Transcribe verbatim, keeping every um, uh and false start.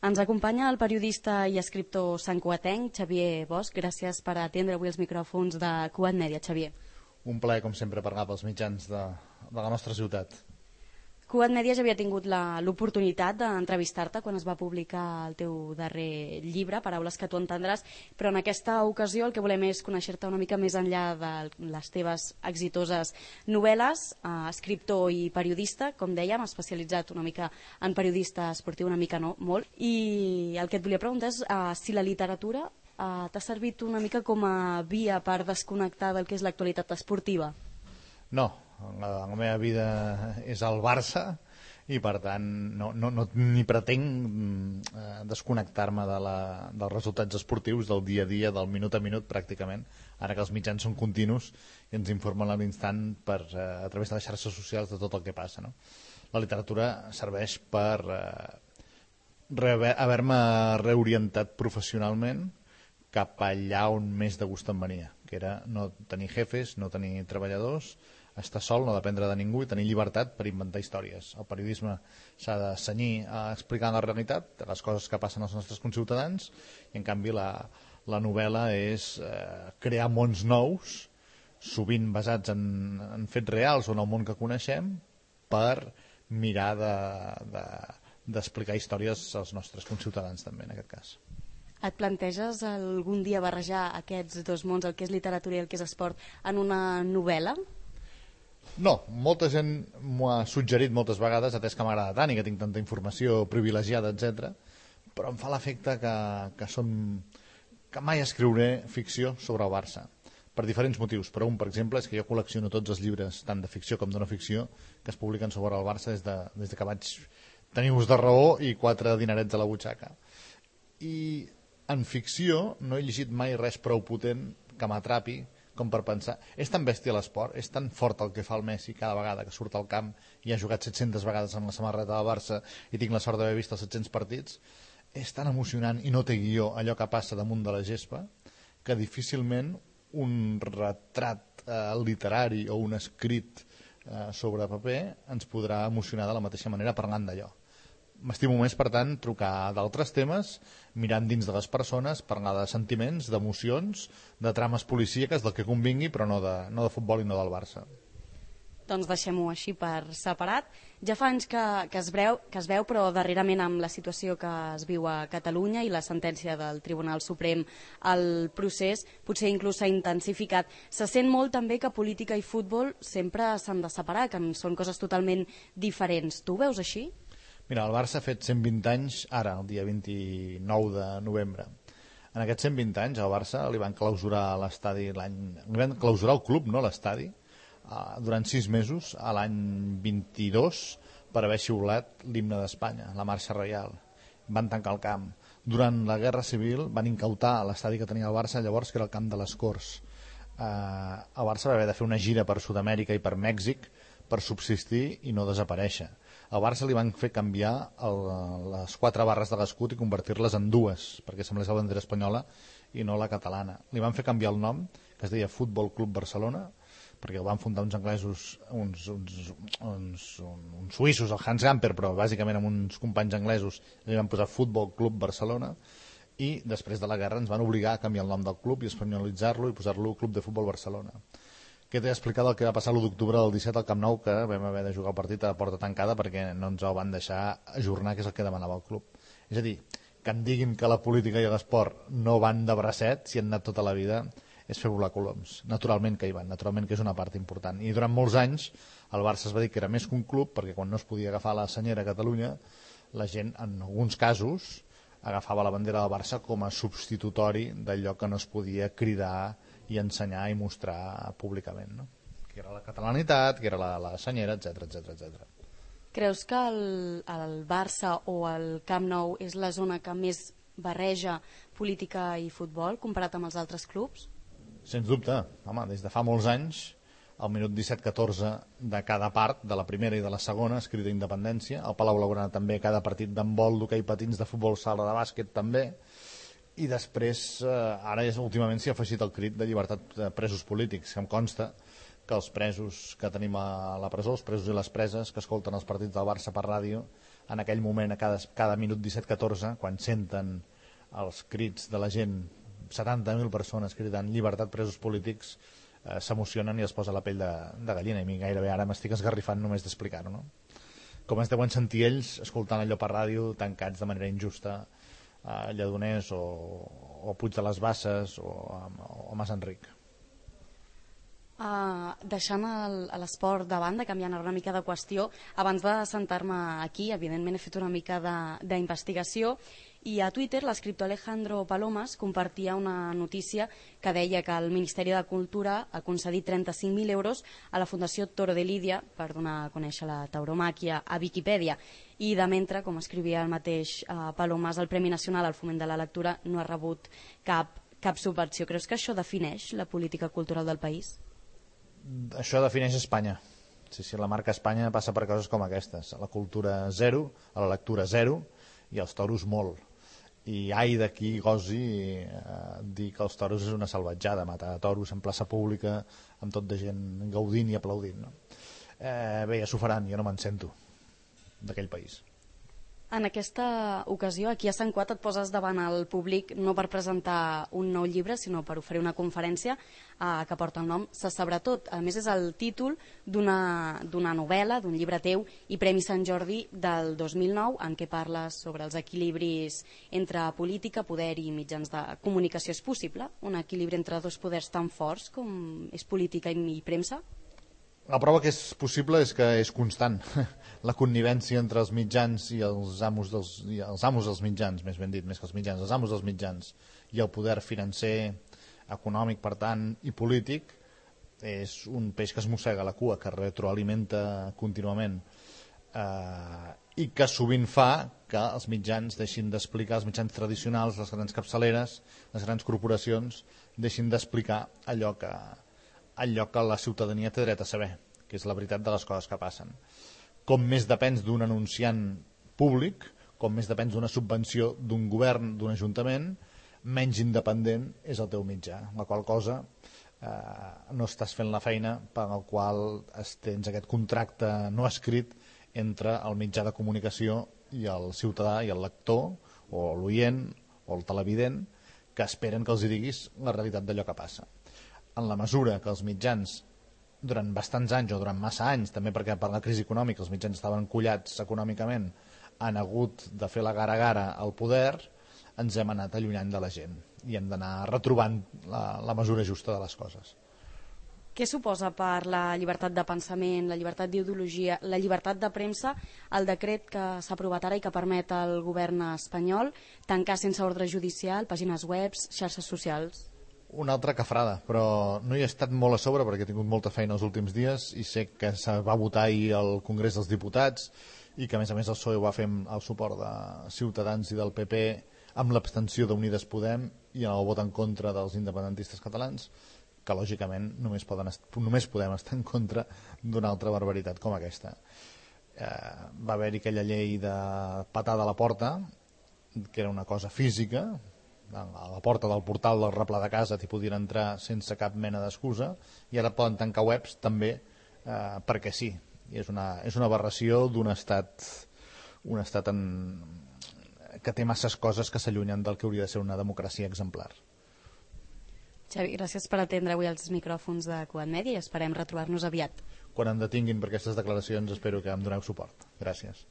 Ens acompanya el periodista i escriptor santcugatenc Xavier Bosch. Gràcies per atendre avui els micròfons de Cugat Mèdia, Xavier. Un plaer, com sempre, parlar pels mitjans de, de la nostra ciutat. Cugat Mèdia ja havia tingut l'oportunitat d'entrevistar-te quan es va publicar el teu darrer llibre, Paraules que tu entendràs, però en aquesta ocasió el que volem és conèixer-te una mica més enllà de les teves exitoses novel·les, eh, escriptor i periodista, com dèiem, especialitzat una mica en periodista esportiu, una mica no, molt, i el que et volia preguntar és eh, si la literatura eh, t'ha servit una mica com a via per desconnectar del que és l'actualitat esportiva. No, la, la meva vida és el Barça i per tant no, no, no ni pretenc eh, desconnectar-me de la, dels resultats esportius del dia a dia, del minut a minut pràcticament, ara que els mitjans són continus i ens informen a l'instant per, eh, a través de les xarxes socials de tot el que passa, no? La literatura serveix per eh, haver-me reorientat professionalment cap allà on més de gust em venia, que era no tenir jefes, no tenir treballadors, estar sol, no dependre de ningú i tenir llibertat per inventar històries. El periodisme s'ha de cenyir a explicar la realitat, les coses que passen als nostres conciutadans, i en canvi la, la novel·la és eh, crear mons nous, sovint basats en, en fets reals o en el món que coneixem, per mirar d'explicar de, de, històries als nostres conciutadans també, en aquest cas. Et planteges algun dia barrejar aquests dos mons, el que és literatura i el que és esport, en una novel·la? No, molta gent m'ho ha suggerit moltes vegades, atès que m'agrada tant i que tinc tanta informació privilegiada, etcètera. Però em fa l'efecte que, que, som, que mai escriuré ficció sobre el Barça, per diferents motius. Però un, per exemple, és que jo col·lecciono tots els llibres, tant de ficció com de no ficció, que es publiquen sobre el Barça des de, des de que vaig tenir ús de raó i quatre dinerets a la butxaca. I en ficció no he llegit mai res prou potent que m'atrapi com per pensar, és tan bèstia l'esport, és tan fort el que fa el Messi cada vegada que surt al camp i ha jugat set-centes vegades amb la samarreta del Barça i tinc la sort d'haver vist els set-cents partits, és tan emocionant i no té guió allò que passa damunt de la gespa que difícilment un retrat eh, literari o un escrit eh, sobre paper ens podrà emocionar de la mateixa manera parlant d'allò. M'estimo més, per tant, trucar d'altres temes, mirant dins de les persones, parlar de sentiments, d'emocions, de trames policíaques, del que convingui, però no de, no de futbol i no del Barça. Doncs deixem-ho així per separat. Ja fa anys que, que, es breu, que es veu, però darrerament amb la situació que es viu a Catalunya i la sentència del Tribunal Suprem, el procés potser inclús s'ha intensificat. Se sent molt també que política i futbol sempre s'han de separar, que són coses totalment diferents. Tu ho veus així? Mira, el Barça ha fet cent vint anys ara, el dia vint-i-nou de novembre. En aquests cent vint anys al Barça li van clausurar l'estadi l'any... li van clausurar el club, no l'estadi, uh, durant sis mesos, a l'any vint-i-dos, per haver xiulat l'himne d'Espanya, la marxa reial. Van tancar el camp. Durant la Guerra Civil van incautar l'estadi que tenia el Barça, llavors, que era el camp de les Corts. Uh, el Barça va haver de fer una gira per Sud-amèrica i per Mèxic per subsistir i no desaparèixer. Al Barça li van fer canviar el, les quatre barres de l'escut i convertir-les en dues, perquè semblés la bandera espanyola i no la catalana. Li van fer canviar el nom, que es deia Futbol Club Barcelona, perquè el van fundar uns anglesos, uns, uns, uns, uns suïssos, el Hans Gamper, però bàsicament amb uns companys anglesos, li van posar Futbol Club Barcelona, i després de la guerra ens van obligar a canviar el nom del club i espanyolitzar-lo i posar-lo Club de Futbol Barcelona. Que t'he explicat el que va passar l'u d'octubre del disset al Camp Nou, que vam haver de jugar el partit a porta tancada perquè no ens el van deixar ajornar, que és el que demanava el club. És a dir, que em diguin que la política i l'esport no van de bracet, si han anat tota la vida, és fer volar coloms. Naturalment que hi van, naturalment que és una part important. I durant molts anys el Barça es va dir que era més que un club, perquè quan no es podia agafar la senyera a Catalunya, la gent, en alguns casos, agafava la bandera del Barça com a substitutori d'allò que no es podia cridar i ensenyar i mostrar públicament, no? Que era la catalanitat, que era la, la senyera, etcètera, etcètera, etcètera. Creus que el, el Barça o el Camp Nou és la zona que més barreja política i futbol comparat amb els altres clubs? Sens dubte, home, des de fa molts anys, al minut disset catorze de cada part, de la primera i de la segona, es crida independència, al Palau Blaugrana també, cada partit d'handbol, d'hoquei patins, de futbol sala, de bàsquet també, i després, eh, ara és, últimament s'hi ha afegit el crit de llibertat de presos polítics, que em consta que els presos que tenim a la presó, els presos i les preses que escolten els partits del Barça per ràdio, en aquell moment, a cada, cada minut disset catorze, quan senten els crits de la gent, setanta mil persones cridant llibertat presos polítics, eh, s'emocionen i es posa la pell de, de gallina, i a mi gairebé ara m'estic esgarrifant només d'explicar-ho, no? Com es deuen sentir ells escoltant allò per ràdio, tancats de manera injusta a Lledoners o, o Puig de les Basses o a, o a Mas Enric. Uh, deixant l'esport de banda, canviant una mica de qüestió, abans de sentar-me aquí, evidentment he fet una mica d'investigació, i a Twitter l'escriptor Alejandro Palomas compartia una notícia que deia que el Ministeri de Cultura ha concedit trenta-cinc mil euros a la Fundació Toro de Lídia per donar a conèixer la tauromàquia a Viquipèdia, i de mentre, com escrivia el mateix uh, Palomas, el Premi Nacional al Foment de la Lectura no ha rebut cap, cap subvenció. Creus que això defineix la política cultural del país? Això defineix Espanya. Sí, sí, la marca Espanya passa per coses com aquestes. A la cultura zero, a la lectura zero i als toros molt. I ai d'aquí gosi eh, dir que els toros és una salvatjada, matar toros en plaça pública amb tot de gent gaudint i aplaudint, no? Eh, bé, ja s'ho faran, jo no me'n sento d'aquell país. En aquesta ocasió, aquí a Sant Cugat et poses davant el públic no per presentar un nou llibre, sinó per oferir una conferència eh, que porta el nom Se sabrà tot. A més, és el títol d'una novel·la, d'un llibre teu i Premi Sant Jordi del dos mil nou, en què parles sobre els equilibris entre política, poder i mitjans de comunicació. És possible un equilibri entre dos poders tan forts com és política i premsa? La prova que és possible és que és constant. La connivència entre els mitjans i els amos dels, i els amos dels mitjans, més ben dit, més que els mitjans, els amos dels mitjans i el poder financer, econòmic, per tant, i polític, és un peix que es mossega la cua, que retroalimenta contínuament eh, i que sovint fa que els mitjans deixin d'explicar, els mitjans tradicionals, les grans capçaleres, les grans corporacions, deixin d'explicar allò que allò que la ciutadania té dret a saber, que és la veritat de les coses que passen. Com més depens d'un anunciant públic, com més depens d'una subvenció d'un govern, d'un ajuntament, menys independent és el teu mitjà, la qual cosa eh, no estàs fent la feina per la qual tens aquest contracte no escrit entre el mitjà de comunicació i el ciutadà i el lector, o l'oient, o el televident, que esperen que els hi diguis la realitat d'allò que passa. En la mesura que els mitjans, durant bastants anys o durant massa anys, també perquè per la crisi econòmica els mitjans estaven collats econòmicament, han hagut de fer la gara a gara al poder, ens hem anat allunyant de la gent i hem d'anar retrobant la, la mesura justa de les coses. Què suposa per la llibertat de pensament, la llibertat d'ideologia, la llibertat de premsa, el decret que s'ha aprovat ara i que permet al govern espanyol tancar sense ordre judicial pàgines web, xarxes socials? Una altra cafrada, però no hi he estat molt a sobre perquè he tingut molta feina els últims dies i sé que se va votar ahir al Congrés dels Diputats i que a més a més el P S O E ho va fer amb el suport de Ciutadans i del P P amb l'abstenció d'Unides Podem i el vot en contra dels independentistes catalans, que lògicament només, poden només podem estar en contra d'una altra barbaritat com aquesta. Eh, va haver-hi aquella llei de patada a la porta, que era una cosa física, a la porta del portal del replà de casa t'hi podien entrar sense cap mena d'excusa, i ara poden tancar webs també eh, perquè sí. I és una, és una aberració d'un estat, un estat en, que té masses coses que s'allunyen del que hauria de ser una democràcia exemplar. Xavi, gràcies per atendre avui els micròfons de Cugat Mèdia i esperem retrobar-nos aviat. Quan em detinguin per aquestes declaracions espero que em doneu suport. Gràcies.